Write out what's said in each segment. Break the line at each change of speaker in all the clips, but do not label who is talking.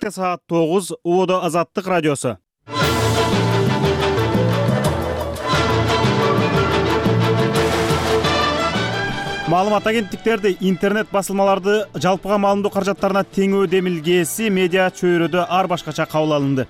Саат 9 Уода Азаттык радиосу. Маалымат агенттиктерди, интернет басылмаларды жалпыга маалымдоо каражаттарына теңөө демилгеси медиа чөйрөдө ар башкача кабыл алынды.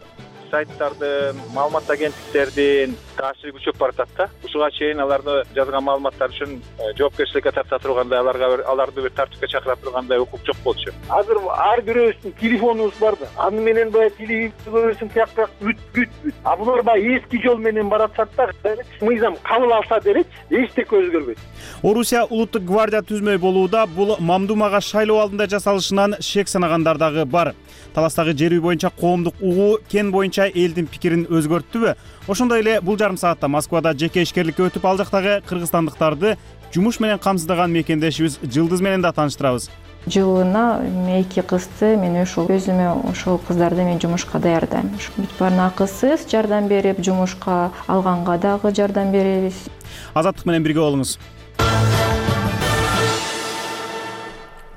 Сайттардын, маалымат агенттиктердин таасири күчөп баратат да. Ушуга чейин аларды жазган маалыматтар үчүн жоопкерчиликке тарта тургандай, аларды бир тартипке чакыра тургандай укук жок болчу.
Азыр ар бирөөбүздүн телефонубуз бар да. Аны менен баягы телевизор көрөсүң, тияк бүт. А булар баягы эски жол менен баратат да. Мыйзам кабыл алса делечи, эчтеке өзгөрбөйт.
Орусия улуттук гвардия түзмөй болууда. Бул мамдумага шайлоо алдында жасалышынан шек санагандар дагы бар. Таластагы жер үй боюнча коомдук угуу кен боюнча элдин пикирин өзгөрттүбү? Ошондой эле бул жарым саатта Москвада жеке ишкерликке өтүп ал жактагы кыргызстандыктарды жумуш менен камсыздаган мекендешибиз Жылдыз менен да тааныштырабыз.
Жылына 2 кызды мен өзүмө ошол кыздарды мен жумушка даярдайм. Бүт баарына акысыз жардам берип, жумушка алганга дагы жардам беребиз.
Азаттык менен бирге болуңуз.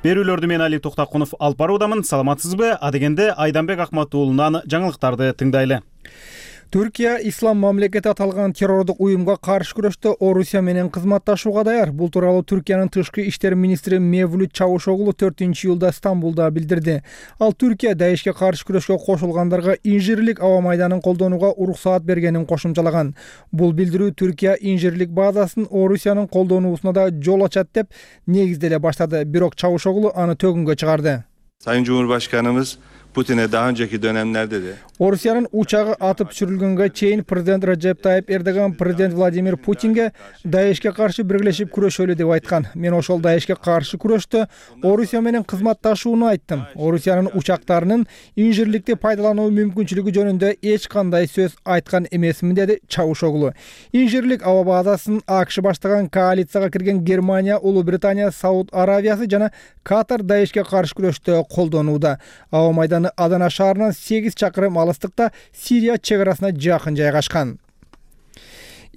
Берүүлөрдү мен Али Токтакунов алып баруудамын. Саламатсызбы? Адегенде Айданбек Акматуулунан жаңылыктарды тыңдайлы.
Түркия ислам мамлекети аталган террордук уюмга каршы күрөштө Орусия менен кызматташууга даяр. Бул тууралуу Түркиянын тышкы иштер министри Мевлют Чавушоглу 4-июлда Стамбулда билдирди. Ал Түркия Даешке каршы күрөшкө кошулгандарга инжирлик аба майданын колдонууга уруксаат бергенин кошумчалаган. Бул билдирүү Түркия инжирлик базасын Орусиянын колдонуусуна да жол ачат деп негизделе баштады. Бирок Чавушоглу аны төгүнгө чыгарды.
Sayın Cumhurbaşkanımız Putin'e daha önceki dönemlerde de
Орусиянын учагы атып түшүрүлгөнгө чейин президент Раджеп Тайип Эрдоган президент Владимир Путинге Даешке каршы биргелешип күрөшөлү деп айткан. Мен ошол Даешке каршы күрөштө Орусия менен кызматташууну айттым. Орусиянын учактарынын инжирликти пайдалануу мүмкүнчүлүгү жөнүндө эч кандай сөз айткан эмесмин, деди Чавушоглу. Инжирлик аба базасын АКШ баштаган коалицияга кирген Германия, Улуу Британия, Сауд Аравиясы жана Катар Даешке каршы күрөштө колдонууда. Аба майданы Адана шаарынан 8 чакырым алыстыкта Сирия чек арасына жакын жайгашкан.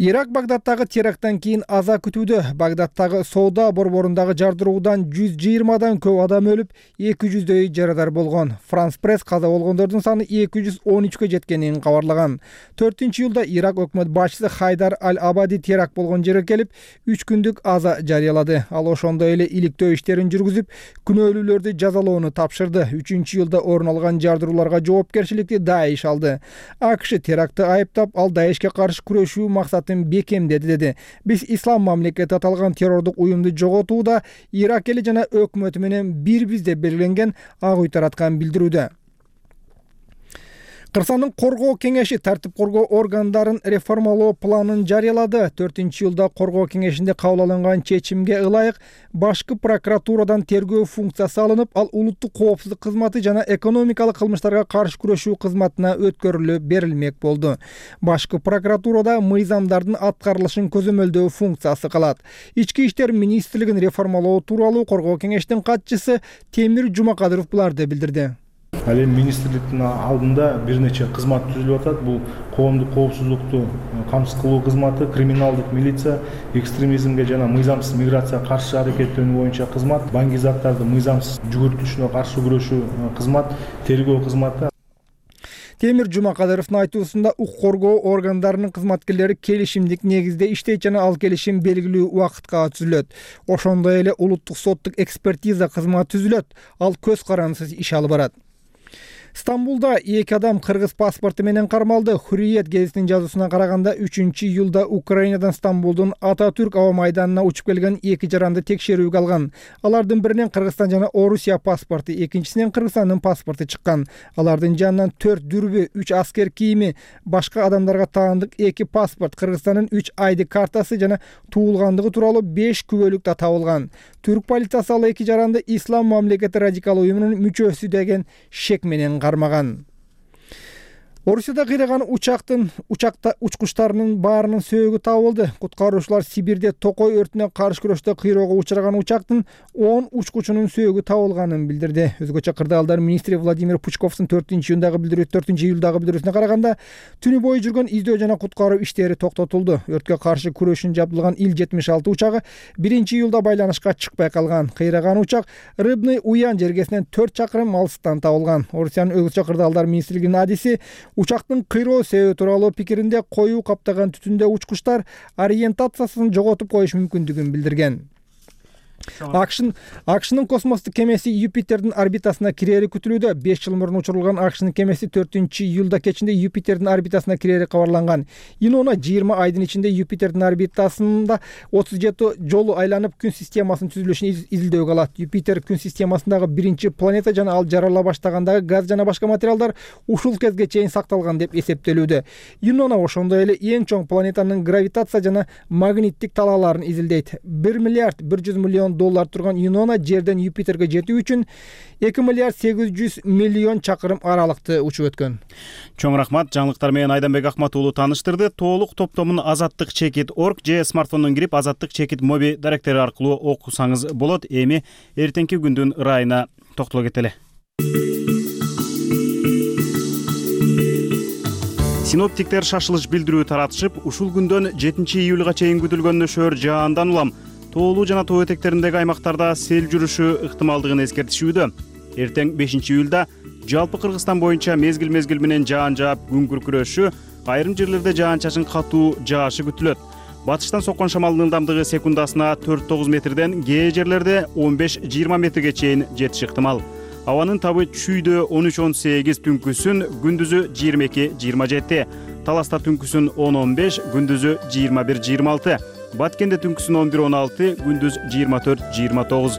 Ирак Багдадтагы теракттан кийин аза күтүүдө. Багдадтагы соода борборундагы жардыруудан 120 көп адам өлүп, 200дөй жарадар болгон. Франс пресс каза болгондордун саны 213кө жеткенин кабарлаган. 4-июлда Ирак өкмөт башчысы Хайдар Аль-Абади теракт болгон жерге келип, 3 күндүк аза жарыялады. Ал ошондой эле иликтөө иштерин жүргүзүп, күнөөлүүлөрдү жазалоону тапшырды. 3-июлда орун алган жардырууларга жоопкерчиликти Даеш алды. АКШ терактты айыптап, ал Даешке каршы күрөшүү максатын бекемдеди, деди. Биз ислам мамлекети аталган террордук уюмду жоготууда Ирак эли жана өкмөтү менен бирбиз деп белгиленген ак үй тараткан билдирүүдө. Кыргызстандын коргоо кеңеши тартип коргоо органдарын реформалоо планын жарыялады. 4-июлда коргоо кеңешинде кабыл алынган чечимге ылайык башкы прокуратурадан тергөө функциясы алынып, ал улуттук коопсуздук кызматы жана экономикалык кылмыштарга каршы күрөшүү кызматына өткөрүлүп берилмек болду. Башкы прокуратурада мыйзамдардын аткарылышын көзөмөлдөө функциясы калат. Ички иштер министрлигин реформалоо тууралуу коргоо кеңештин катчысы Темир Жумакадыров буларды билдирди.
Ал эми министрликтин алдында бир нече кызмат түзүлүп атат. Бул коомдук коопсуздукту камсыз кылуу кызматы, криминалдык милиция, экстремизмге жана мыйзамсыз миграцияга каршы аракеттенүү боюнча кызмат, баңгизаттарды мыйзамсыз жүгүртүшүнө каршы күрөшүү кызмат, тергөө кызматы.
Темир Жумакадыровдун айтуусунда укук коргоо органдарынын кызматкерлери келишимдик негизде иштейт жана ал келишим белгилүү убакытка түзүлөт. Ошондой эле улуттук соттук экспертиза кызматы түзүлөт. Ал көз карандысыз иш алып барат. Стамбулда 2 адам кыргыз паспорту менен кармалды. Hurriyet гезитинин жазуусуна караганда 3-июлда Украинадан Стамбулдун Ататүрк аба майданына учуп келген 2 жаранды текшерүүгө алган. Алардын биринен Кыргызстан жана Орусия паспорту, экинчисинен Кыргызстандын паспорту чыккан. Алардын жанынан 4 дүрбү, 3 аскер кийими, башка адамдарга таандык 2 паспорт, Кыргызстандын 3 ID картасы жана туулгандыгы тууралуу 5 күбөлүк да табылган. Түрк полициясы ал 2 жаранды ислам мамлекети радикал уюмунун мүчөсү деген шек менен кармаган. Орусияда кыйраган учакта учкучтарынын баарынын сөөгү табылды. Куткаруучулар Сибирде токой өртүнө каршы күрөштө кыйроого учураган учактын 10 учкучунун сөөгү табылганын билдирди. Өзгөчө кырдаалдар министри Владимир Пучковдун 4-июлдагы билдирүүсүнө караганда түнү бою жүргөн издөө жана куткаруу иштери токтотулду. Өрткө каршы күрөшүн жабдылган Ил-76 учагы 1-июлда байланышка чыкпай калган. Кыйраган учак Рыбный Уян жергесинен 4 чакырым алыстан табылган. Орусиянын өзгөчө кырдаалдар министрлигинин адиси учактын кыйроо себеби тууралуу пикиринде коюу каптаган түтүндө учкучтар ориентациясын жоготуп коюш мүмкүндүгүн билдирген. АКШнын космостук кемеси Юпитердин орбитасына кирери күтүлүүдө. 5 жыл мурун учурулган АКШнын кемеси 4-июлда кечинде Юпитердин орбитасына кирери кабарланган. Инона 20 айдын ичинде Юпитердин орбитасында 37 жолу айланып күн системасынын түзүлүшүн изилдөөгө алат. Юпитер күн системасындагы биринчи планета жана ал жарала баштагандагы газ жана башка материалдар ушул кезге чейин сакталган деп эсептелүүдө. Инона ошондой эле эң чоң планетанын гравитация жана магниттик талааларын изилдейт. 1 миллиард 100 миллион доллар турган Инона жерден Юпитерге жетүү үчүн 2 миллиард 800 миллион чакырым аралыкты учуп өткөн.
Чоң рахмат. Жаңылыктар менен Айданбек Акмат уулу тааныштырды. Толук топтомун azattik.org же смартфондон кирип Azattik моби даректери аркылуу окусаңыз болот. Эми эртеңки күндүн ырайына токтоло кетели. Синоптиктер шашылыш билдирүү таратышып, ушул күндөн 7-июлга чейин күтүлгөн нөшөр жаандан улам тоолуу жана тоо этектериндеги аймактарда сел жүрүшү ыктымалдыгын эскертишүүдө. Эртең 5-июлда жалпы Кыргызстан боюнча мезгил менен жаан жаап күн күркүрөшү, айрым жерлерде жаан-чачын катуу жаашы күтүлөт. Батыштан соккон шамалдын ылдамдыгы секундасына 4-9 метрден, кээ жерлерде 15-20 метрге чейин жетиши ыктымал. Абанын табы чүйдө 13-18, түнкүсүн күндүзү 22-27, Таласта түнкүсүн 10-15, күндүзү 21-26. Баткенде түнкүсүн 11-16, күндүз 24-29.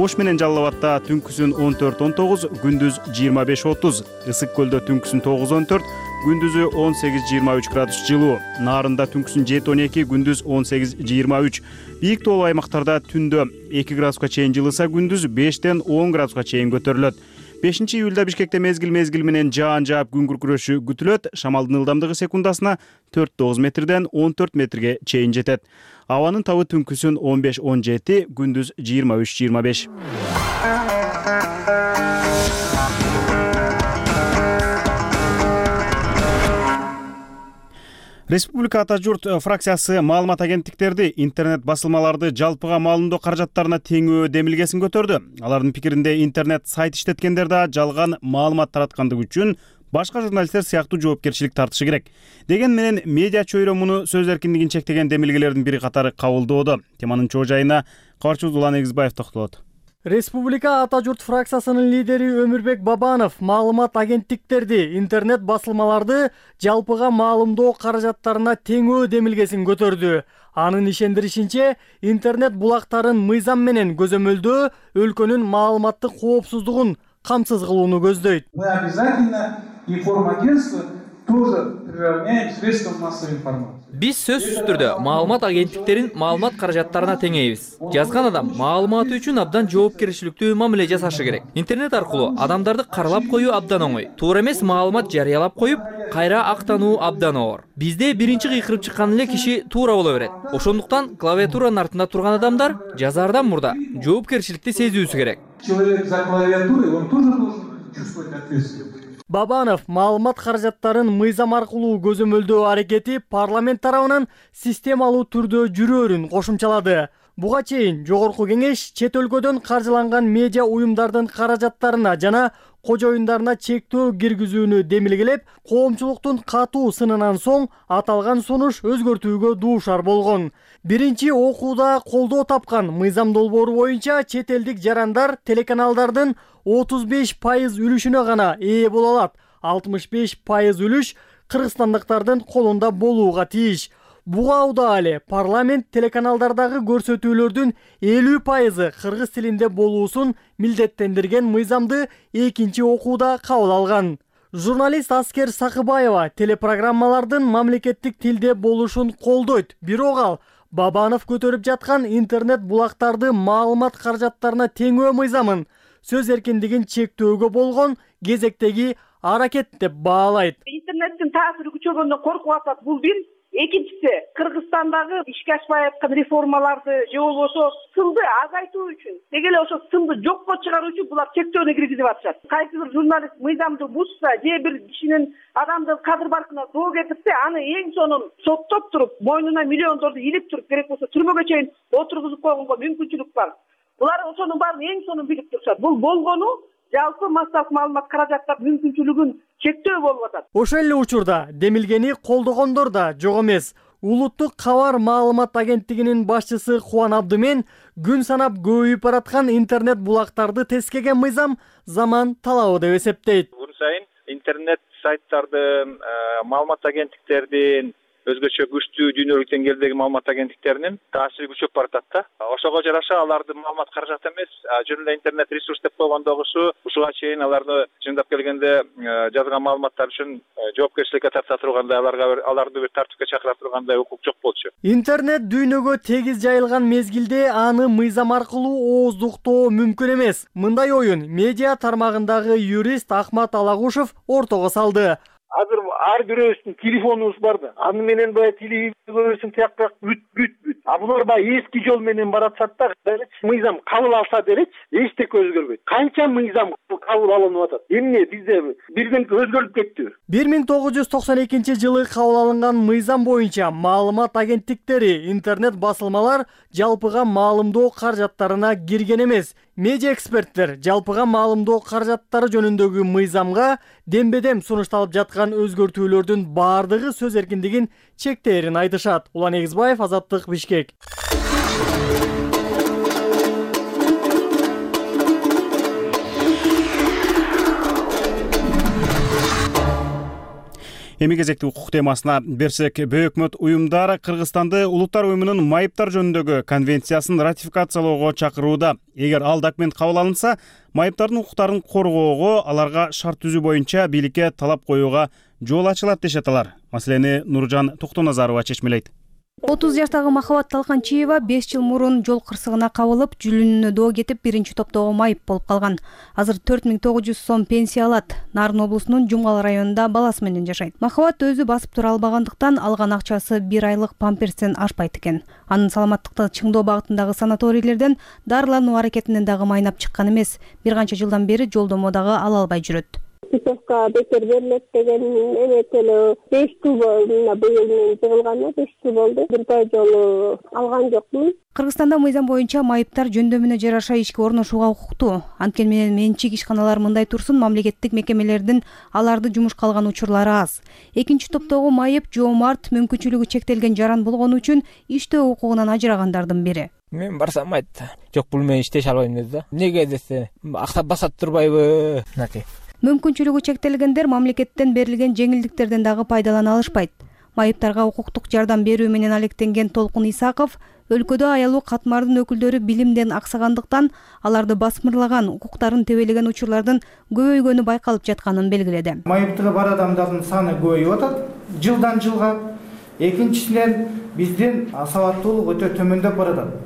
Ош менен Жалал Абадта түнкүсүн 14-19, күндүз 25-30. Ысык көлдө түнкүсүн 9-14, күндүзү 18-23 градус жылуу. Нарында түнкүсүн 7-12, күндүз 18-23. Бийик тоолуу аймактарда түндө 2 градуска чейин жылыса, күндүз 5-10 градуска чейин көтөрүлөт. 5-июлда Бишкекте мезгил менен жаан жаап күн күркүрөшү күтүлөт. Шамалдын ылдамдыгы секундасына 4-9 метрден 14 метрге чейин жетет. Абанын табы түнкүсүн 15-17, күндүз 23-25. Республика Ата журт фракциясы маалымат агенттиктерди интернет басылмаларды жалпыга маалымдоо каражаттарына теңөө демилгесин көтөрдү. Алардын пикиринде интернет сайт иштеткендер да жалган маалымат тараткандыгы үчүн башка журналисттер сыяктуу жоопкерчилик тартышы керек. Деген менен медиа чөйрө муну сөз эркиндигин чектеген демилгелердин бири катары кабылдоодо. Теманын чоо жайына кабарчыбыз Улан Эгизбаев токтолот.
Республика Ата журт фракциясынын лидери Өмүрбек Бабанов маалымат агенттиктерди, интернет басылмаларды жалпыга маалымдоо каражаттарына теңөө демилгесин көтөрдү. Анын ишендиришинче, интернет булактарын мыйзам менен көзөмөлдөө өлкөнүн маалыматтык коопсуздугун камсыз кылууну көздөйт.
Мы обязательно информагентство тоже приравняем к средствам массовой информации.
Биз сөзсүз түрдө маалымат агенттиктерин маалымат каражаттарына теңейбиз. Жазган адам маалыматы үчүн абдан жоопкерчиликтүү мамиле жасашы керек. Интернет аркылуу адамдарды каралап коюу абдан оңой. Туура эмес маалымат жарыялап коюп, кайра актануу абдан оор. Бизде биринчи кыйкырып чыккан эле киши туура боло берет. Ошондуктан клавиатуранын артында турган адамдар жазаардан мурда жоопкерчиликти сезүүсү керек.
Человек за клавиатурой, он тоже должен чувствовать ответственность.
Бабанов маалымат каражаттарын мыйзам аркылуу көзөмөлдөө аракети парламент тарабынан системалуу түрдө жүрөөрүн кошумчалады. Буга чейин Жогорку Кеңеш чет өлкөдөн каржыланган медиа уюмдардын каражаттарына жана кожоюндарына чектөө киргизүүнү демилгелеп, коомчулуктун катуу сынынан соң аталган сунуш өзгөртүүгө дуушар болгон. Биринчи окууда колдоо тапкан мыйзам долбоору боюнча чет элдик жарандар телеканалдардын 35% үлүшүнө гана ээ боло алат. 65% үлүш кыргызстандыктардын колунда болууга тийиш. Буга удаалы парламент телеканалдардагы көрсөтүүлөрдүн 50% кыргыз тилинде болуусун милдеттендирген мыйзамды экинчи окууда кабыл алган. Журналист Аскер Сакыбаева телепрограммалардын мамлекеттик тилде болушун колдойт. Бирок ал Бабанов көтөрүп жаткан интернет булактарды маалымат каражаттарына теңөө мыйзамын сөз эркиндигин чектөөгө болгон кезектеги аракет деп баалайт.
интернеттин таасири күчөгөндөн коркуп атат. Бул бир. Экинчиси, Кыргызстандагы ишке ашпай аткан реформаларды же болбосо сынды азайтуу үчүн, деги эле ошо сынды жокко чыгаруу үчүн булар чектөөнү киргизип атышат. Кайсы бир журналист мыйзамды бузса, же бир кишинин адамдын кадыр баркына доо кетирсе, аны эң сонун соттоп туруп, мойнуна миллиондорду илип туруп, керек болсо түрмөгө чейин отургузуп койгонго мүмкүнчүлүк бар. Булар ошонун баарын эң сонун билип турушат. Бул болгону жалпы массалык маалымат каражаттар мүмкүнчүлүгүн чектөө болуп атат.
Ошол эле учурда демилгени колдогондор да жок эмес. Улуттук кабар маалымат агенттигинин башчысы Кубан Абдымен күн санап көбөйүп бараткан интернет булактарды тескеген мыйзам заман талабы деп эсептейт.
Күн сайын интернет сайттардын, маалымат агенттиктердин, өзгөчө күчтүү дүйнөлүк деңгээлдеги маалымат агенттиктеринин таасири күчөп баратат да. Ошого жараша алардын маалымат каражаты эмес, жөн эле интернет ресурс деп койгондогусу ушуга чейин аларды чындап келгенде жазган маалыматтар үчүн жоопкерчиликке тарта тургандай, аларды бир тартипке чакыра тургандай укук жок болчу.
Интернет дүйнөгө тегиз жайылган мезгилде аны мыйзам аркылуу ооздуктоо мүмкүн эмес. Мындай оюн медиа тармагындагы юрист Ахмат Алагушев ортого салды.
Азыр ар бирөөбүздүн телефонубуз бар да. Аны менен баягы телевизор көрөсүң, тияк бүт. А булар баягы эски жол менен баратышат да. Мыйзам кабыл алса делечи, эчтеке өзгөрбөйт. Канча мыйзам кабыл алынып атат. Эмне бизде бирден өзгөрүп кетти.
1992 жылы кабыл алынган мыйзам боюнча маалымат агенттиктери, интернет басылмалар жалпыга маалымдоо каражаттарына кирген эмес. Медиа эксперттер жалпыга маалымдоо каражаттары жөнүндөгү мыйзамга дембедем сунушталып жаткан өзгөртүүлөрдүн баардыгы сөз эркиндигин чектээрин айтышат. Улан Эгизбаев, Азаттык, Бишкек.
Эми кезекти укук темасына берсек, Бөкмөт уюмдар Кыргызстанды Улуттар уюмунун майыптар жөнүндөгү конвенциясын ратификациялоого чакырууда. Эгер ал документ кабыл алынса, майыптардын укуктарын коргоого, аларга шарт түзүү боюнча бийликке талап коюуга жол ачылат дешет алар. Маселени Нуржан Токтоназарова чечмелейт.
30 жаштагы Махабат Талканчиева 5 жыл мурун жол кырсыгына кабылып, жүлүнүнө доо кетип, биринчи топтогу майып болуп калган. Азыр 4900 сом пенсия алат. Нарын облусунун Жумгал районунда баласы менен жашайт. Махабат өзү басып тура албагандыктан алган акчасы 1 айлык памперстен ашпайт экен. Анын саламаттыкты чыңдоо багытындагы санаторийлерден дарылануу аракетинен дагы майнап чыккан эмес. Бир канча жылдан бери жолдомо дагы ала албай жүрөт.
Писовка бекер берилет деген эметеле 5 жыл болду, быйыл мен жыгылганы 5 жыл болду. Бир жолу алган жокмун.
Кыргызстанда мыйзам боюнча майыптар жөндөмүнө жараша ишке орношууга укуктуу. Анткени менен менчик ишканалар мындай турсун, мамлекеттик мекемелердин аларды жумушка алган учурлары аз. Экинчи топтогу майып Жоомарт мүмкүнчүлүгү чектелген жаран болгону үчүн иштөө укугунан ажырагандардын бири.
Мен барсам айтты, жок бул мен иштеше албайм деди да. Неге десе, акча басат турбайбы?
Мүмкүнчүлүгү чектелгендер мамлекеттен берилген жеңилдиктерден дагы пайдалана алышпайт. Майыптарга укуктук жардам берүү менен алектенген Толкун Исаков өлкөдө аялуу катмардын өкүлдөрү билимден аксагандыктан аларды басмырлаган, укуктарын тебелеген учурлардын көбөйгөнү байкалып жатканын белгиледи.
Майыптыгы бар адамдардын саны көбөйүп атат жылдан жылга. Экинчисинен биздин сабаттуулук өтө төмөндөп баратат.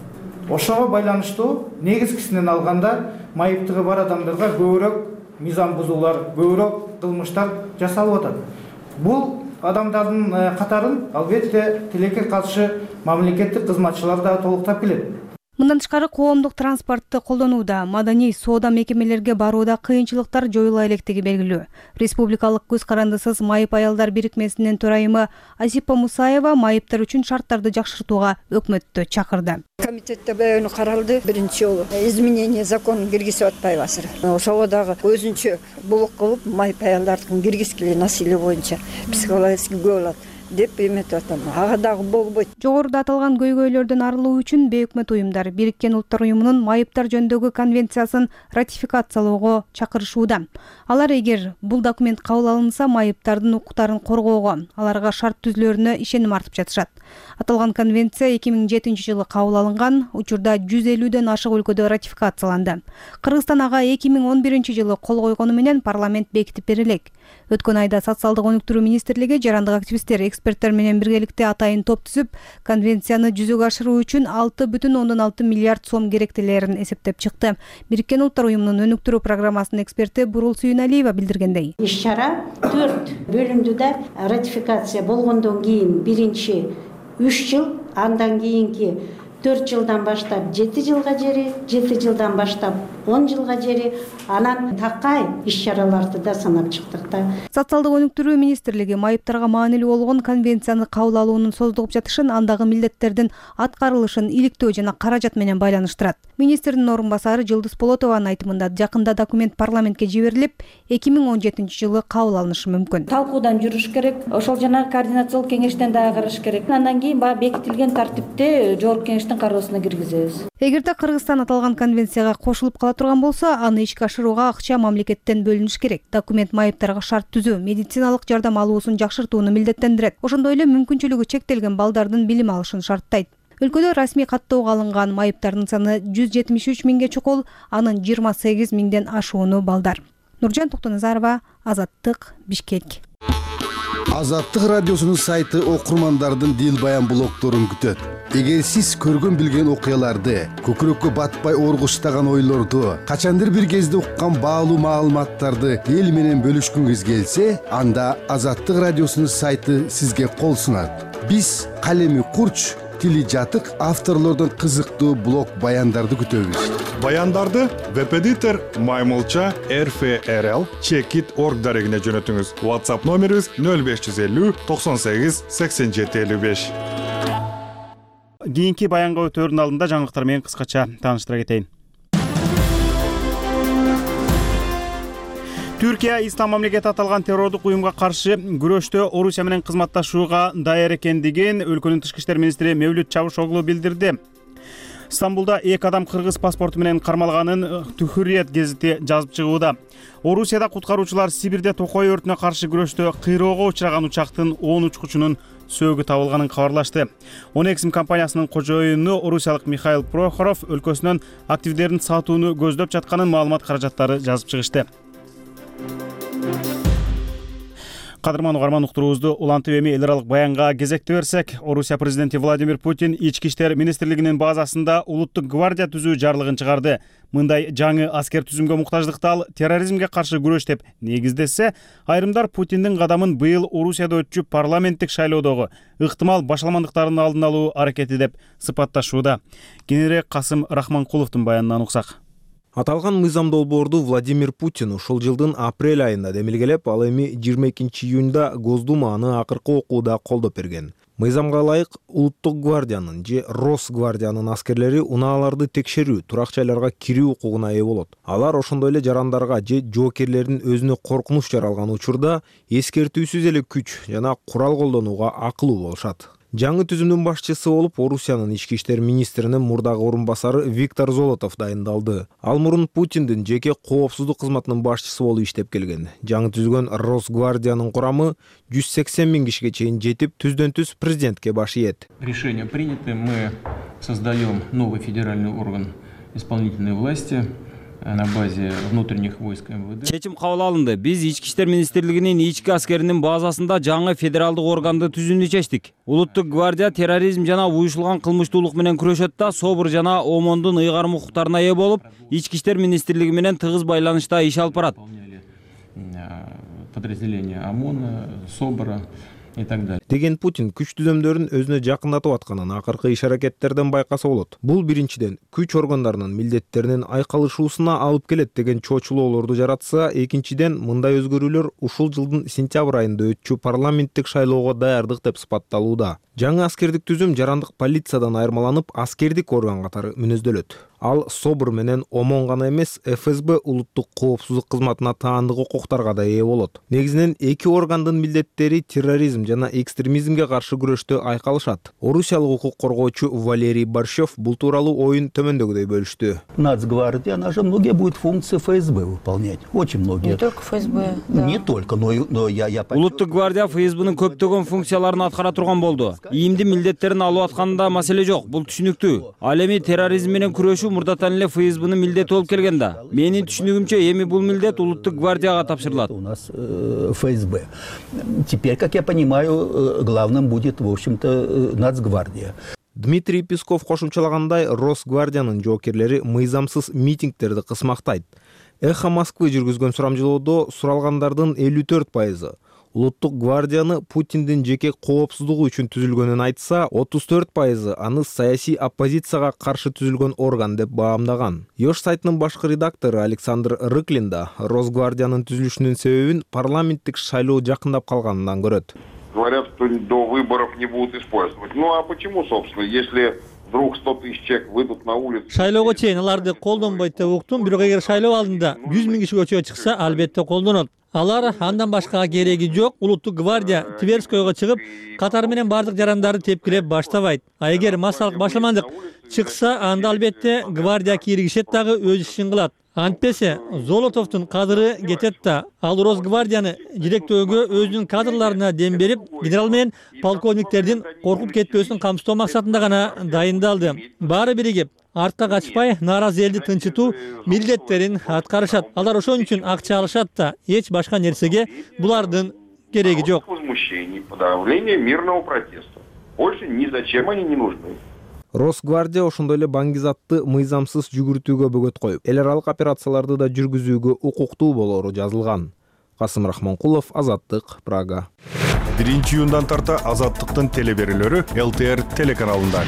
Ошого байланыштуу негизгисинен алганда майыптыгы бар адамдарга көбүрөөк мыйзам бузуулар, көбүрөөк кылмыштар жасалып атат. Бул адамдардын катарын албетте тилекке каршы мамлекеттик кызматчылар да толуктап келет.
Мындан тышкары коомдук транспортты колдонууда, маданий соода мекемелерге барууда кыйынчылыктар жоюла электиги белгилүү. Республикалык көз карандысыз майып аялдар бирикмесинин төрайымы Азипа Мусаева майыптар үчүн шарттарды жакшыртууга өкмөттү чакырды.
Комитетте баягы каралды, биринчи жолу изменение закон киргизип атпайбы азыр. Ошого дагы өзүнчө булук кылып майып аялдардын киргизгиле насилие боюнча психологический көп болот деп эметип атам. Ага дагы болбойт.
Жогоруда аталган көйгөйлөрдөн арылуу үчүн Бөкмөт уюмдар Бириккен Улуттар уюмунун майыптар жөнүндөгү конвенциясын ратификациялоого чакырышууда. Алар эгер бул документ кабыл алынса, майыптардын укуктарын коргоого, аларга шарт түзүлөрүнө ишеним артып жатышат. Аталган конвенция 2007 жылы кабыл алынган, учурда 150ден ашык өлкөдө ратификацияланды. Кыргызстан ага 2011 жылы кол койгону менен парламент бекитип берилек. Өткөн айда социалдык өнүктүрүү министрлиги жарандык активисттер эксперттер менен биргеликте атайын топ түзүп, конвенцияны жүзөгө ашыруу үчүн 6,6 миллиард сом керектелерин эсептеп чыкты. Бириккен Улуттар уюмунун өнүктүрүү программасынын эксперти Бурул Сүйүналиева билдиргендей.
Иш-чара 4 бөлүмдүдө ратификация болгондон кийин биринчи 3 жыл, андан кийинки 4 жылдан баштап 7 жылга жери, 7 жылдан баштап 10 жылга жери, анан такай иш-чараларды да санап чыктык да.
Социалдык өнүктүрүү министрлиги майыптарга маанилүү болгон конвенцияны кабыл алуунун создугуп жатышын, андагы милдеттердин аткарылышын иликтөө жана каражат менен байланыштырат. Министрдин орун басары Жылдыз Болотованын айтымында жакында документ парламентке жиберилип, 2017 жылы кабыл алынышы мүмкүн.
Талкуудан жүрүш керек, ошол жана координациялык кеңештен дагы караш керек. Андан кийин бекитилген тартипте жогорку кеңештин кароосуна киргизебиз.
Эгерде Кыргызстан аталган конвенцияга кошулуп кала турган болсо, аны ишке ашырууга акча мамлекеттен бөлүнүш керек. Документ майыптарга шарт түзүү, медициналык жардам алуусун жакшыртууну милдеттендирет. Ошондой эле мүмкүнчүлүгү чектелген балдардын билим алышын шарттайт. Өлкөдө расмий каттоого алынган майыптардын саны 173 миңге чукул, анын 28 миңден ашууну балдар. Нуржан Токтоназарова, Азаттык, Бишкек.
Азаттык радиосунун сайты окурмандардын дил баян блогдорун күтөт. Эгер сиз көргөн билген окуяларды, көкүрөккө батпай оргуштаган ойлорду, качандыр бир кезде уккан баалуу маалыматтарды эл менен бөлүшкүңүз келсе, анда Азаттык радиосунун сайты сизге кол сунат. Биз калеми курч, тили жатык авторлордун кызыктуу блог баяндарды күтөбүз.
Баяндарды веб-эдитор Маймылча RFRL Checkit.org дарегине жөнөтүңүз. WhatsApp номерибиз 0550 98 87 55.
Кийинки баянга өтөөрдүн алдында жаңылыктар менен кыскача тааныштыра кетейин. Түркия Ислам мамлекети аталган террордук уюмга каршы күрөштө Орусия менен кызматташууга даяр экендигин өлкөнүн тышкы иштер министри Мевлют Чавушоглу билдирди. Стамбулда 2 адам кыргыз паспорту менен кармалганын Hürriyet гезити жазып чыгууда. Орусияда куткаруучулар Сибирде токой өртүнө каршы күрөштө кыйроого учураган учактын 10 учкучунун сөөгү табылганын кабарлашты. Онексим компаниясынын кожоюну орусиялык Михаил Прохоров өлкөсүнөн активдерин сатууну көздөп жатканын маалымат каражаттары жазып чыгышты. Кадырман угарман, уктуруубузду улантып эми эл аралык баянга кезекти берсек, Орусия президенти Владимир Путин Ички иштер министрлигинин базасында улуттук гвардия түзүү жарлыгын чыгарды. Мындай жаңы аскер түзүмгө муктаждыкты ал терроризмге каршы күрөш деп негиздесе, айрымдар Путиндин кадамын быйыл Орусияда өтчү парламенттик шайлоодогу ыктымал башаламандыктардын алдын алуу аракети деп сыпатташууда. Кененирээк Касым Рахманкуловдун баянынан уксак.
Аталган мыйзам долбоорду Владимир Путин ушул жылдын апрель айында демилгелеп, ал эми 22 июнда Госдума аны акыркы окууда колдоп берген. Мыйзамга ылайык улуттук гвардиянын же Росгвардиянын аскерлери унааларды текшерүү, турак жайларга кирүү укугуна ээ болот. Алар ошондой эле жарандарга же жоокерлердин өзүнө коркунуч жаралган учурда эскертүүсүз эле күч жана курал колдонууга акылуу болушат. Жаңы түзүмдүн башчысы болуп Орусиянын ички иштер министринин мурдагы орун басары Виктор Золотов дайындалды. Ал мурун Путиндин жеке коопсуздук кызматынын башчысы болуп иштеп келген. Жаңы түзүлгөн Росгвардиянын курамы 180 миң кишиге чейин жетип, түздөн түз президентке баш ийет.
Решение принято, мы создаем новый федеральный орган исполнительной власти на базе внутренних войск МВД.
Чечим кабыл алынды. Биз Ички иштер министрлигинин ички аскеринин базасында жаңы федералдык органды түзүүнү чечтик. Улуттук гвардия терроризм жана уюшулган кылмыштуулук менен күрөшөт да, СОБР жана ОМОНдун ыйгарым укуктарына ээ болуп, Ички иштер министрлиги менен тыгыз байланышта иш алып барат.
Подразделения ОМОНа, СОБРа и так далее.
Деген Путин күч түзөмдөрүн өзүнө жакындатып атканын акыркы иш аракеттерден байкаса болот. Бул биринчиден күч органдарынын милдеттеринин айкалышуусуна алып келет деген чоочулоолорду жаратса, экинчиден мындай өзгөрүүлөр ушул жылдын сентябрь айында өтчү парламенттик шайлоого даярдык деп сыпатталууда. Жаңы аскердик түзүм жарандык полициядан айырмаланып, аскердик орган катары мүнөздөлөт. Ал СОБР менен ОМОН гана эмес, ФСБ улуттук коопсуздук кызматына таандык укуктарга да ээ болот. Негизинен эки органдын милдеттери терроризм жана экстремизмге каршы күрөштө айкалышат. Орусиялык укук коргоочу Валерий Борщев бул тууралуу оюн төмөндөгүдөй бөлүштү.
Нацгвардия, она же многие будет функции ФСБ выполнять. Очень многие.
Не только ФСБ. Да.
Не только, но я
Улуттук гвардия ФСБнын көптөгөн функцияларын аткара турган болду. Ийимди милдеттерин алып атканда маселе жок, бул түшүнүктүү. Ал эми терроризм менен күрөшүү мурдатан эле ФСБнын милдети болуп келген да. Менин түшүнүгүмчө эми бул милдет улуттук гвардияга тапшырылат.
У нас ФСБ. Теперь, как я понимаю, главным будет, в общем-то, Нацгвардия.
Дмитрий Песков кошумчалагандай, Росгвардиянын жоокерлери мыйзамсыз митингтерди кысмактайт. Эхо Москвы жүргүзгөн сурамжылоодо суралгандардын 54% улуттук гвардияны Путиндин жеке коопсуздугу үчүн түзүлгөнүн айтса, 34% аны саясий оппозицияга каршы түзүлгөн орган деп баамдаган. Ёш сайтынын башкы редактору Александр Рыклин да Росгвардиянын түзүлүшүнүн себебин парламенттик шайлоо жакындап калганынан көрөт.
Говорят, что до выборов не будут использовать. Ну а почему, собственно, если вдруг 100 тысяч человек выйдут на улицу?
Шайлоого чейин аларды колдонбойт деп уктум, бирок эгер шайлоо алдында 100 000 киши көчөгө чыкса, албетте колдонот. Алар андан башкага кереги жок. Улуттук гвардия Тверскойго чыгып, катары менен бардык жарандарды тепкилеп баштабайт. А эгер массалык башламандык чыкса, анда албетте гвардия киргишет дагы өз ишин кылат. Антпесе Золотовдун кадыры кетет да. Ал Росгвардияны жетектөөгө өзүнүн кадрларына дем берип, генерал менен полковниктердин коркуп кетпөсүн камсыздоо максатында гана дайындалды. Баары биригип, артка качпай, нааразы элди тынчытуу милдеттерин аткарышат. Алар ошон үчүн акча алышат да, эч башка нерсеге булардын кереги жок.
Возмущение, подавление мирного протеста. Больше ни зачем они не нужны.
Росгвардия ошондой эле баңгизатты мыйзамсыз жүгүртүүгө бөгөт коюп, эл аралык операцияларды да жүргүзүүгө укуктуу болору жазылган. Касым Рахманкулов, Азаттык, Прага.
1-июндан тарта Азаттыктын телеберүүлөрү ЛТР телеканалында.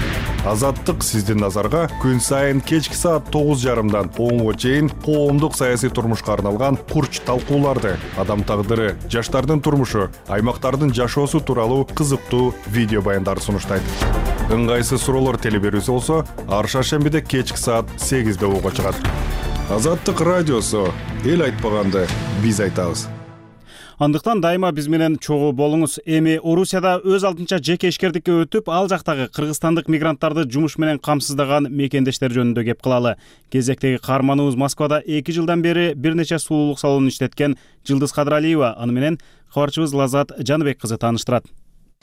Азаттык сиздин назарга күн сайын кечки саат 9:30 10:00 чейин коомдук саясий турмушка арналган курч талкууларды, адам тагдыры, жаштардын турмушу, аймактардын жашоосу тууралуу кызыктуу видео баяндарды сунуштайт. Ыңгайсыз суроолор телеберүүсү болсо, ар шаршембиде кечки саат 8:00 угууга чыгат. Азаттык радиосу, эл айтпаганды биз айтабыз.
Андыктан дайыма биз менен чогуу болуңуз. Эми Орусияда өз алдынча жеке ишкердикке өтүп, ал жактагы кыргызстандык мигранттарды жумуш менен камсыздаган мекендештер жөнүндө кеп кылалы. Кезектеги каарманыбыз Москвада 2 жылдан бери бир нече сулуулук салонун иштеткен Жылдыз Кадыралиева, аны менен кабарчыбыз Лазат Жаныбек кызы тааныштырат.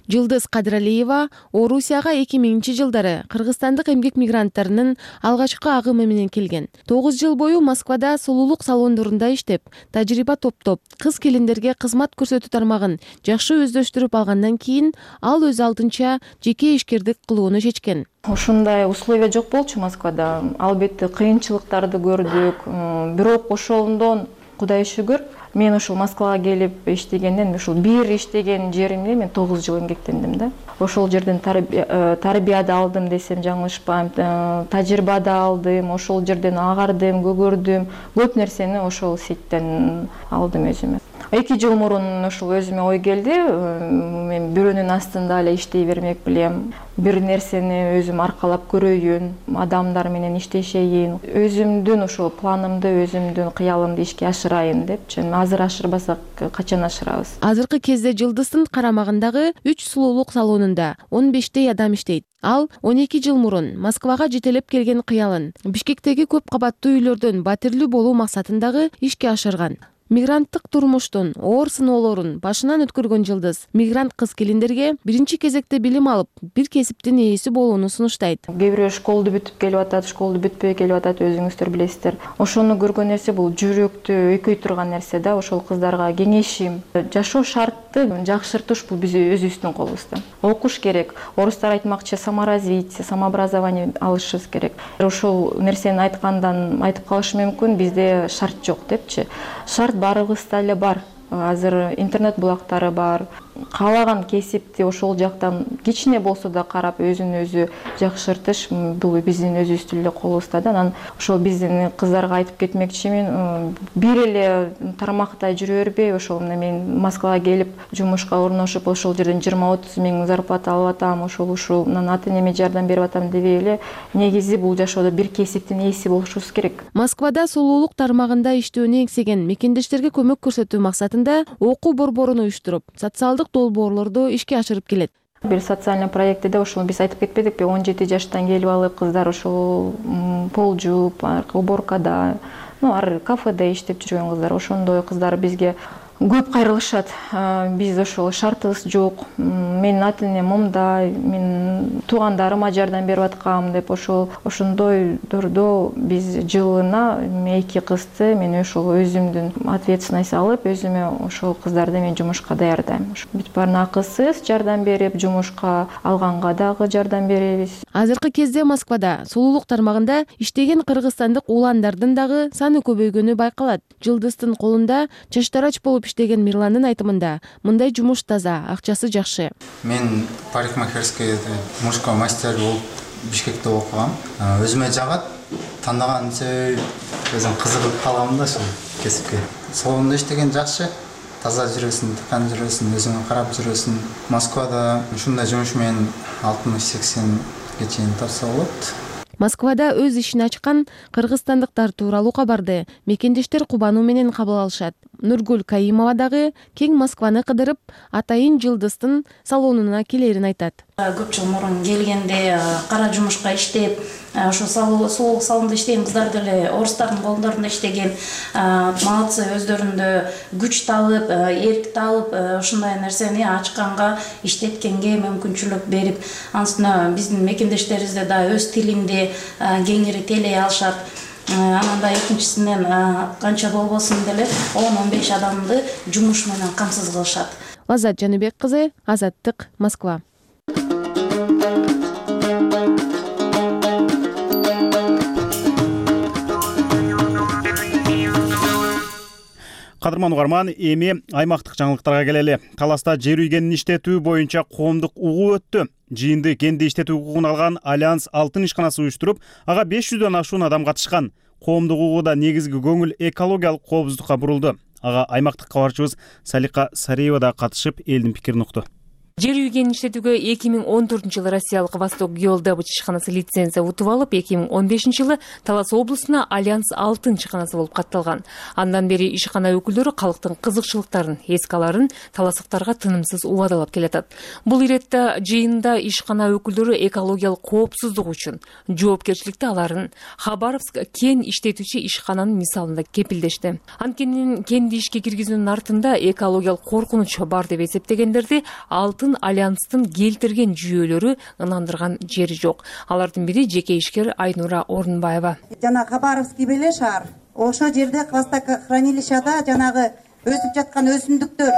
Жылдыз Кадыралиева Орусияга 2000-жылдары кыргызстандык эмгек мигранттарынын алгачкы агымы менен келген. 9 жыл бою Москвада сулуулук салондорунда иштеп, тажрыйба топтоп, кыз келиндерге кызмат көрсөтүү тармагын жакшы өздөштүрүп алгандан кийин ал өз алдынча жеке ишкердик кылууну чечкен.
Ушундай условия жок болчу Москвада. Албетте кыйынчылыктарды көрдүк. Бирок ошондон Кудайга шүгүр, мен ушул Москвага келип иштегенден, ушул бир иштеген жеримде мен 9 жыл эмгектендим да. Ошол жерден тарбия да алдым десем жаңылышпайм, тажрыйба да алдым, ошол жерден агардым, көгөрдүм, көп нерсени ошол сеттен алдым өзүмө. 2 жыл мурун ушул өзүмө ой келди, мен бирөөнүн астында эле иштей бермек билем, бир нерсени өзүм аркалап көрөйүн, адамдар менен иштешейин, өзүмдүн ошол планымды, өзүмдүн кыялымды ишке ашырайын депчи. Азыр ашырбасак качан ашырабыз?
Азыркы кезде Жылдыздын карамагындагы 3 сулуулук салонунда 15 адам иштейт. Ал 12 жыл мурун Москвага жетелеп келген кыялын Бишкектеги көп кабаттуу үйлөрдөн батирлүү болуу максатындагы ишке ашырган. Мигранттык турмуштун оор сыноолорун башынан өткөргөн Жылдыз мигрант кыз келиндерге биринчи кезекте билим алып, бир кесиптин ээси болууну сунуштайт.
Кээ бирөө школду бүтүп келип атат, школду бүтпөй келип атат, өзүңүздөр билесиздер. Ошону көргөн нерсе бул жүрөктү өйкөй турган нерсе да. Ошол кыздарга кеңешим, жашоо шартты жакшыртыш бул биз өзүбүздүн колубузда. Окуш керек. Орустар айтмакчы саморазвитие, самообразование алышыбыз керек. Ошол нерсени айтып калышы мүмкүн, бизде шарт жок депчи. Шарт баарыбызда эле бар. Азыр интернет булактары бар. Каалаган кесипти ошол жактан кичине болсо да карап өзүн өзү жакшыртыш бул биздин өзүбүздүн эле колубузда да. Анан ошол биздин кыздарга айтып кетмекчимин, бир эле тармакта жүрө бербей, ошол мен Москвага келип жумушка орношуп, ошол жерден 20-30 миң зарплата алып атам, ушунан ата энеме жардам берип атам дебей эле, негизи бул жашоодо бир кесиптин ээси болушубуз керек.
Москвада сулуулук тармагында иштөөнү эңсеген мекендештерге көмөк көрсөтүү максатында окуу борборун уюштуруп, социалдык долбоорлорду ишке ашырып келет.
Бир социальный проектте ошол биз айтып кетпедикпи, 17 жаштан келип алып кыздар ошол пол жууп, уборкада, ар кафеде иштеп жүргөн кыздар, ошондой кыздар бизге көп кайрылышат. Биз ошол шартыбыз жок. Менин ата энем момундай, мен туугандарыма жардам берип аткам деп ошондой турдо биз жылына 2 кызды мен ошол өзүмдүн ответственность алып, өзүмө ошол кыздарды мен жумушка даярдайм. Бүт баарын акысыз жардам берип, жумушка алганга дагы жардам беребиз.
Азыркы кезде Москвада сулуулук тармагында иштеген кыргызстандык ууландардын дагы саны көбөйгөнү байкалат. Жылдыздын колунда чачтарач болуп иштеген Мирландын айтымында мындай жумуш таза, акчасы жакшы.
Мен парикмахерский мужской мастер болуп Бишкекте окугам. Өзүмө жагат, тандаган себеби өзүм кызыгып калгам да ошол кесипке. Салонда иштеген жакшы, таза жүрөсүң, тыкан жүрөсүң, өзүңө карап жүрөсүң. Москвада ушундай жумуш менен 60-80ге чейин тапса болот.
Москвада өз ишин ачкан кыргызстандыктар тууралуу кабарды мекендештер кубануу менен кабыл алышат. Нургүл Каимова дагы кең Москваны кыдырып, атайын Жылдыздын салонуна келерин айтат.
Көп жыл мурун келгенде кара жумушка иштеп, ошо сулуулук салонунда иштеген кыздар деле орустардын колдорунда иштеген, молодцы, өздөрүндө күч таалып, эрк таалып, ушундай нерсени ачканга, иштеткенге мүмкүнчүлүк берип, ансына биздин мекендештерибизде да өз тилинде кеңири тейлей алышат. Анан да экинчисинен канча болбосун деле 10-15 адамды жумуш менен камсыз кылышат.
Лаззат Жаныбек кызы, Азаттык, Москва.
Кадырман угарман, эми аймактык жаңылыктарга келели. Таласта жер үйгенин иштетүү боюнча коомдук угуу өттү. Жыйынды кенди иштетүү укугун алган Альянс Алтын ишканасы уюштуруп, ага 500дөн ашуун адам катышкан. Коомдук угууда негизги көңүл экологиялык коопсуздукка бурулду. Ага аймактык кабарчыбыз Салика Сариева да катышып, элдин пикирин укту.
Жер үйгенин иштетүүгө 2014-жылы Россиялык Восток Геолдобыч ишканасы лицензия утуп алып, 2015-жылы Талас облусуна Альянс Алтын ишканасы болуп катталган. Андан бери ишкана өкүлдөрү калктын кызыкчылыктарын, эске аларын таластыктарга тынымсыз убадалап келатат. Бул иретте жыйында ишкана өкүлдөрү экологиялык коопсуздук үчүн жоопкерчиликти аларын Хабаровск кен иштетүүчү ишкананын мисалында кепилдешти. Анткени кенди ишке киргизүүнүн артында экологиялык коркунуч бар деп эсептегендерди Алтын Альянстын келтирген жүйөлөрү ынандырган жери жок. Алардын бири жеке ишкер Айнура Орунбаева.
Жана Хабаровский беле шаар. Ошо жерде хвостохранилищада жанагы өсүп жаткан өсүмдүктөр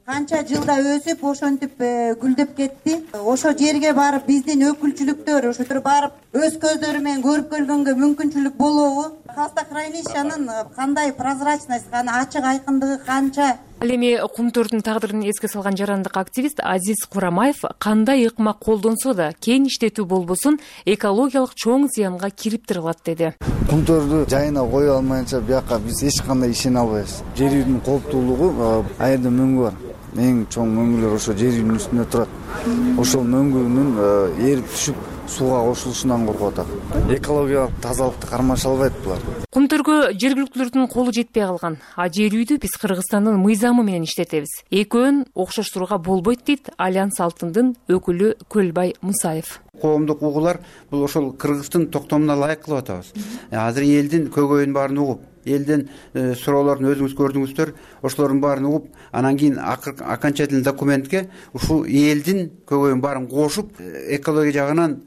канча жылда өсүп, ошентип гүлдөп кетти. Ошо жерге барып биздин өкүлчүлүктөр ошотор барып өз көздөрү менен көрүп келгенге мүмкүнчүлүк болобу? Хвостохранилищанын кандай прозрачность, ачык айкындыгы канча?
Ал эми кумтөрдүн тагдырын эске салган жарандык активист Азиз Курамаев кандай ыкма колдонсо да кен иштетүү болбосун экологиялык чоң зыянга кириптир алат деди.
Кумтөрдү жайына кое алмайынча бияка биз эч кандай ишене албайбыз. Жер үйдүн кооптуулугу аерде мөңгү бар. Эң чоң мөңгүлөр ошо жер үйдүн үстүндө турат. Ошол мөңгүнүн эрип түшүп сууга кошулушунан коркуп атат. Экологиялык тазалыкты кармаша албайт булар.
Кумтөргө жергиликтүүлөрдүн колу жетпей калган. А жер үйдү биз Кыргызстандын мыйзамы менен иштетебиз. Экөөнүн окшоштурууга болбойт дейт Альянс Алтындын өкүлү Көлбай Мусаев.
Коомдук угуулар бул ошол Кыргыздын токтомуна ылайык кылып атабыз. Азыр элдин көйгөйүн баарын угуп, элден суроолорун өзүңүз көрдүңүздөр, ошолордун баарын угуп, анан кийин окончательный документке ушул элдин көйгөйүн баарын кошуп, экология жагынан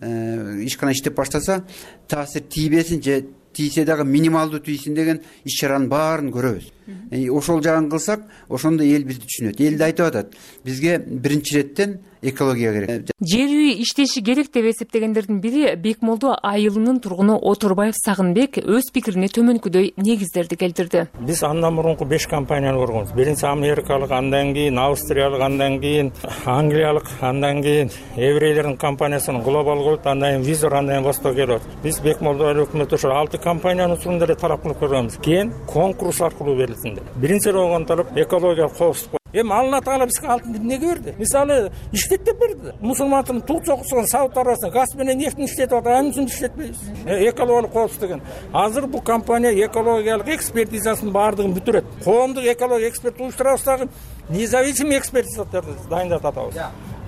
ишкана иштеп баштаса, таасир тийбесин же тийсе дагы минималдуу тийсин деген иш чаранын баарын көрөбүз. Ошол жагын кылсак, ошондо эл бизди түшүнөт. Эл да айтып атат, бизге биринчи иреттен экология керек.
Жер үй иштеши керек деп эсептегендердин бири Бекмолду айылынын тургуну Оторбаев Сагынбек өз пикирине төмөнкүдөй негиздерди келтирди.
Биз андан мурунку 5 компанияны көргөнбүз. Биринчи америкалык, андан кийин австриялык, андан кийин англиялык, андан кийин еврейлердин компаниясынын глобал голд, андан кийин Визор, андан кийин Восток Геолд. Биз Бекмолду өкмөтү ошол 6 компаниянын учурунда эле талап кылып көргөнбүз. Кийин конкурс аркылуу берилсин деп. Биринчи болгон талап экологиялык коопсуздук. Эми Алла Таала бизге алтынды эмнеге берди? Мисалы, иштет деп берди. Мусулмандын тук чокусун Сауд Арабиясында газ менен нефтин иштетип атат, анын үчүн иштетпейбиз. Экологиялык коопсуздук деген. Азыр бул компания экологиялык экспертизасынын баардыгын бүтүрөт. Коомдук экология эксперт уюштурабыз дагы, независимый экспертизаларды дайындатып атабыз.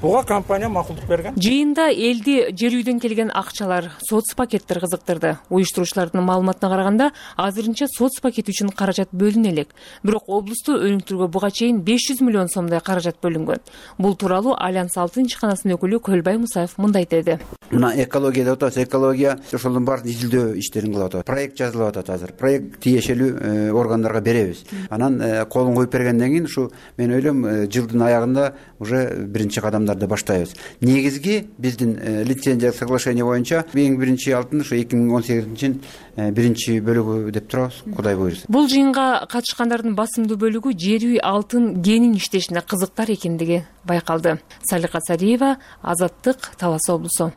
буга компания макулдук берген.
Жыйында элди жер үйдөн келген акчалар, соц пакеттер кызыктырды. Уюштуруучулардын маалыматына караганда, азырынча соц пакети үчүн каражат бөлүнө элек. Бирок облусту өнүктүрүүгө буга чейин 500 миллион сомдой каражат бөлүнгөн. Бул тууралуу Альянс 6 ишканасынын өкүлү Көлбай Мусаев мындай деди.
Мына экология деп атабыз, экология ошолдун баарын изилдөө иштерин кылып атат. Проект жазылып атат азыр. Проект тиешелүү органдарга беребиз. Анан колун коюп бергенден кийин ушу мен ойлойм жылдын аягында уже биринчи кадамдарды баштайбыз. Негизги биздин лицензиялык соглашение боюнча эң биринчи алтын ушу 2018-жылдын биринчи бөлүгү деп турабыз, Кудай буйруса.
Бул жыйынга катышкандардын басымдуу бөлүгү жер үй алтын генин иштешине кызыктар экендиги байкалды. Салика Сариева, Азаттык, Талас облусу.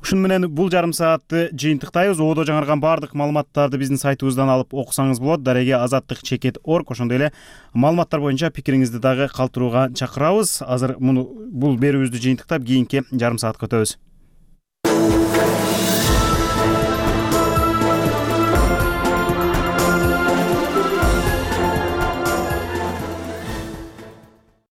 Ушун менен бул жарым саатты жыйынтыктайбыз. Одо жаңырган баардык маалыматтарды биздин сайтыбыздан алып окусаңыз болот. Дареге azattik.org. Ошондой эле маалыматтар боюнча пикириңизди дагы калтырууга чакырабыз. Азыр бул берүүбүздү жыйынтыктап, кийинки жарым саатка өтөбүз.